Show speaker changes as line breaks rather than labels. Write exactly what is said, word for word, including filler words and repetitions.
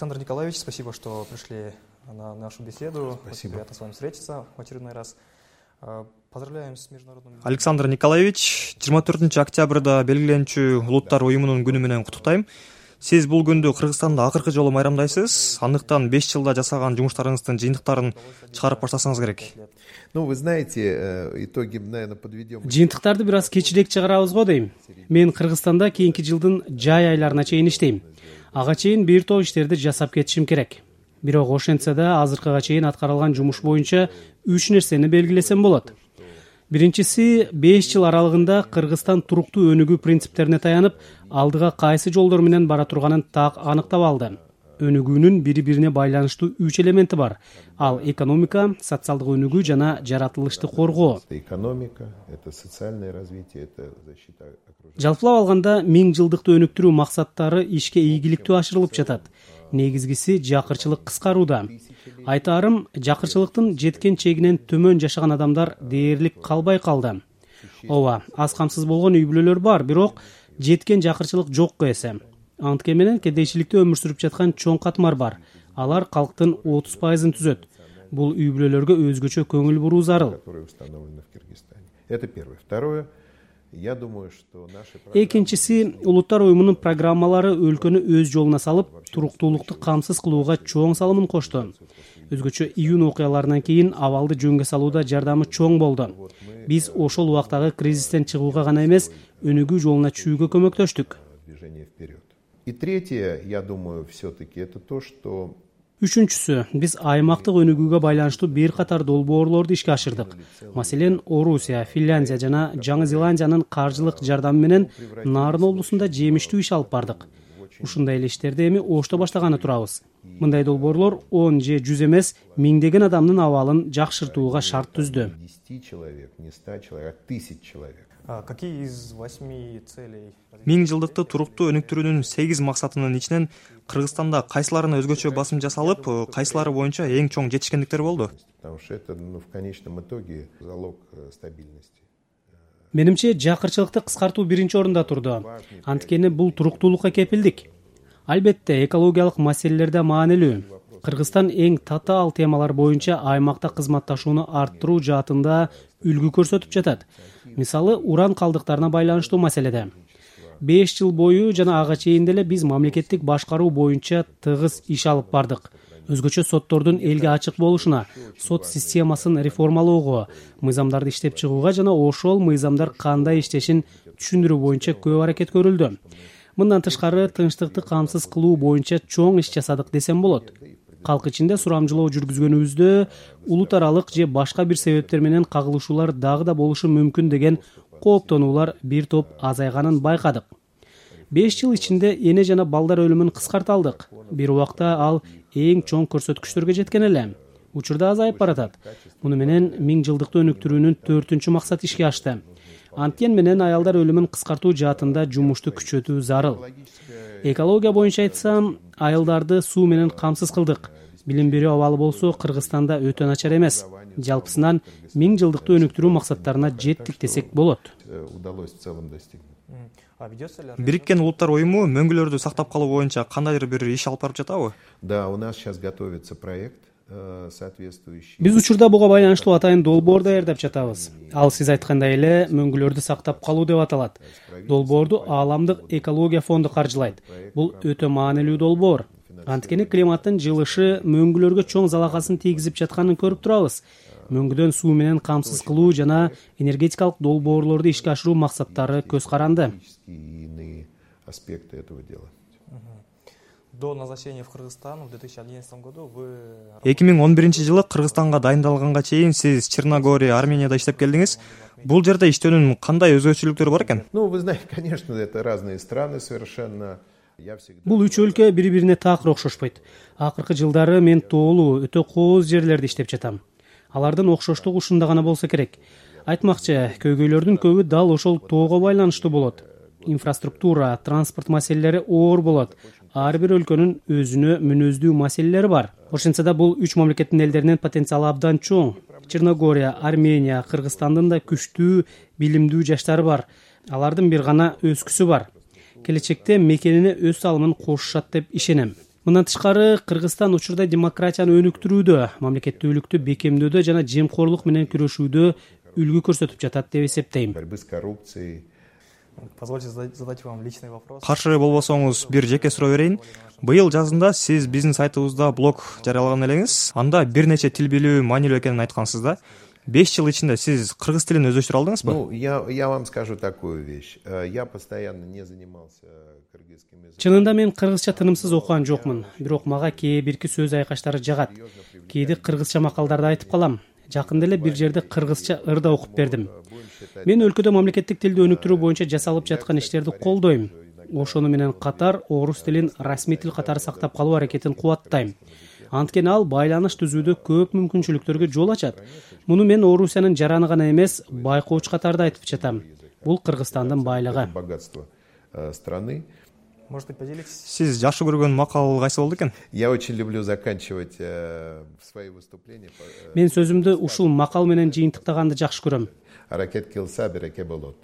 Александр Николаевич, спасибо, что пришли на нашу беседу.
Спасибо.
Очень приятно с вами встретиться в очередной раз. Поздравляем с международным...
Александр Николаевич, жыйырма төртүнчү октябрда белгиленчү улуттар уюмунун күнү менен куттуктайм. Сиз бул күндү Кыргызстанда акыркы жолу майрамдайсыз. Андыктан беш жылда жасаган жумуштарыңыздын жыйынтыктарын чыгарып баштасаңыз керек.
Ну, вы знаете, итоги, наверное, подведем.
Жыйынтыктарды бир аз кечирээк чыгарабыз го дейм. Мен Кыргызстанда кийинки жылдын жай айларына чейин иштейм. Ага чейин бир топ иштерди жасап кетишим керек. Бирок ошентсе да азыркыга чейин аткарылган жумуш боюнча үч нерсени белгилесем болот. Биринчиси, беш жыл аралыгында Кыргызстан туруктуу өнүгүү принциптерине таянып, алдыга кайсы жолдор менен бара турганын так аныктап алды. Өнүгүүнүн бири-бирине байланыштуу үч элементи бар. Ал экономика, социалдык өнүгүү жана жаратылышты коргоо.
Экономика, это социальное развитие, это защита окружения.
Жалпылап алганда миң жылдыкты өнүктүрүү максаттары ишке ийгиликтүү ашырылып жатат. Негизгиси жакырчылык кыскарууда. Айтаарым, жакырчылыктын жеткен чегинен төмөн жашаган адамдар дээрлик калбай калды. Ооба, аз камсыз болгон үй бүлөлөр бар, бирок жеткен жакырчылык жокко эсе. Анткени менен кедейчиликте өмүр сүрүп жаткан чоң катмар бар. Алар калктын отуз пайызын түзөт. Бул үй бүлөлөргө өзгөчө көңүл буруу зарыл.
Которые установлены в Кыргызстане. Это первое. Второе. Я думаю, что наши
Экинчиси, улуттар уюмунун программалары өлкөнү өз жолуна салып, туруктуулукту камсыз кылууга чоң салымын кошту. Өзгөчө июнь окуяларынан кийин абалды жөнгө салууда жардамы чоң болду. Биз ошол убактагы кризистен чыгууга гана эмес, өнүгүү жолуна чүйүүгө көмөктөштүк.
движение вперед. И третье, я думаю, все-таки это то, что
Үчүнчүсү, биз аймактык өнүгүүгө байланыштуу бир катар долбоорлорду ишке ашырдык. Маселен, Орусия, Финляндия жана Жаңы Зеландиянын каржылык жардамы менен Нарын облусунда жемиштүү иш алып бардык. Ушундай эле иштерди эми Ошто баштаганы турабыз. Мындай долбоорлор он же жүз эмес, миңдеген адамдын абалын жакшыртууга шарт түздү.
десять человек, не сто человек, а тысяч человек.
А какие из восьми целей...
Миң жылдыкты туруктуу өнүктүрүүнүн сегиз максатынын ичинен Кыргызстанда кайсыларына өзгөчө басым жасалып, кайсылары боюнча эң чоң жетишкендиктер болду?
Потому что это, ну, в конечном итоге залог э, стабильности.
Менимче жакырчылыкты кыскартуу биринчи орунда турду. Анткени бул туруктуулукка кепилдик. Албетте, экологиялык маселелер да маанилүү. Кыргызстан эң татаал темалар боюнча аймакта кызматташууну арттыруу жаатында үлгү көрсөтүп жатат. Мисалы, уран калдыктарына байланыштуу маселеде. беш жыл бою жана ага чейин деле биз мамлекеттик башкаруу боюнча тыгыз иш алып бардык. Өзгөчө соттордун элге ачык болушуна, сот системасын реформалоого, мыйзамдарды иштеп чыгууга жана ошол мыйзамдар кандай иштешин түшүндүрүү боюнча көп аракет көрүлдү. Мындан тышкары тынчтыкты камсыз кылуу боюнча чоң иш жасадык десем болот. Калк ичинде сурамжылоо жүргүзгөнүбүздө улут аралык же башка бир себептер менен кагылышуулар дагы да болушу мүмкүн деген кооптонуулар бир топ азайганын байкадык. беш жыл ичинде эне жана балдар өлүмүн кыскарта алдык. Бир убакта ал эң чоң көрсөткүчтөргө жеткен эле. Учурда азайып баратат. Муну менен миң жылдыкты өнүктүрүүнүн төртүнчү максаты ишке ашты. Анткен менен аялдар өлүмүн кыскартуу жаатында жумушту күчөтүү зарыл. Экология боюнча айтсам, айылдарды суу менен камсыз кылдык. Билим берүү абалы болсо Кыргызстанда өтө начар эмес. Жалпысынан миң жылдыкты өнүктүрүү максаттарына жеттик десек болот.
Удалось в целом достигнуть.
А ведется ли...
Бириккен улуттар уюму мөңгүлөрдү сактап калуу боюнча кандайдыр бир иш алып барып жатабы?
Да, у нас сейчас готовится проект э, соответствующий.
Биз учурда буга байланыштуу атайын долбоор даярдап жатабыз. Ал сиз айткандай эле мөңгүлөрдү сактап калуу деп аталат. Долбоорду Ааламдык экология фонду каржылайт. Бул өтө маанилүү долбоор. Анткени климаттын жылышы мөңгүлөргө чоң залакасын тийгизип жатканын көрүп турабыз. Мөңгүдөн суу менен камсыз кылуу жана энергетикалык долбоорлорду ишке ашыруу максаттары көз каранды.
Иные аспекты этого дела.
До назначения в Кыргызстан в две тысячи одиннадцатом году вы...
эки миң он биринчи жылы Кыргызстанга дайындалганга чейин сиз Черногория, Арменияда иштеп келдиңиз. Бул жерде иштөөнүн кандай өзгөчөлүктөрү бар экен?
Ну, вы знаете, конечно, это разные страны совершенно. Я всегда...
Бул үч өлкө бири-бирине такыр окшошпойт. Акыркы жылдары мен тоолуу, өтө кооз жерлерде иштеп жатам. Алардын окшоштугу ушунда гана болсо керек. Айтмакчы, көйгөйлөрдүн көбү дал ошол тоого байланыштуу болот. Инфраструктура, транспорт маселелери оор болот. Ар бир өлкөнүн өзүнө мүнөздүү маселелери бар. Ошентсе да бул үч мамлекеттин элдеринин потенциалы абдан чоң. Черногория, Армения, Кыргызстандын да күчтүү, билимдүү жаштары бар. Алардын бир гана өскүсү бар. Келечекте мекенине өз салымын кошушат деп ишенем. Мындан тышкары Кыргызстан учурда демократияны өнүктүрүүдө, мамлекеттүүлүктү бекемдөөдө жана жемкорлук менен күрөшүүдө үлгү көрсөтүп жатат деп эсептейм.
Борьбы с коррупцией.
Позвольте задать вам личный вопрос.
Каршы болбосоңуз бир жеке суроо берейин. Быйыл жазында сиз биздин сайтыбызда блог жарыялаган элеңиз. Анда бир нече тил билүү маанилүү экенин айткансыз да. беш жыл ичинде сиз кыргыз тилин өздөштүрө алдыңызбы?
Ну, я, я вам скажу такую вещь. Я постоянно не занимался кыргызским языком.
Чынында мен кыргызча тынымсыз окуган жокмун, бирок мага кээ бирки сөз айкаштары жагат. Кээде кыргызча макалдарды айтып калам. Жакында эле бир жерде кыргызча ырда окуп бердим. Мен өлкөдө мамлекеттик тилди өнүктүрүү боюнча жасалып жаткан иштерди колдойм. Ошону менен катар орус тилин расмий тил катары сактап калуу аракетин кубаттайм. Анткени ал байланыш түзүүдө көп мүмкүнчүлүктөргө жол ачат. Муну мен Орусиянын жараны гана эмес, байкооч катарда айтып жатам. Бул Кыргызстандын байлыгы.
Богатство страны.
Можете поделитесь?
Сиз жакшы көргөн макал кайсы болду экен?
Я очень люблю заканчивать свои выступления.
Мен сөзүмдү ушул макал менен жыйынтыктаганды жакшы көрөм.
Аракет кылса береке болот.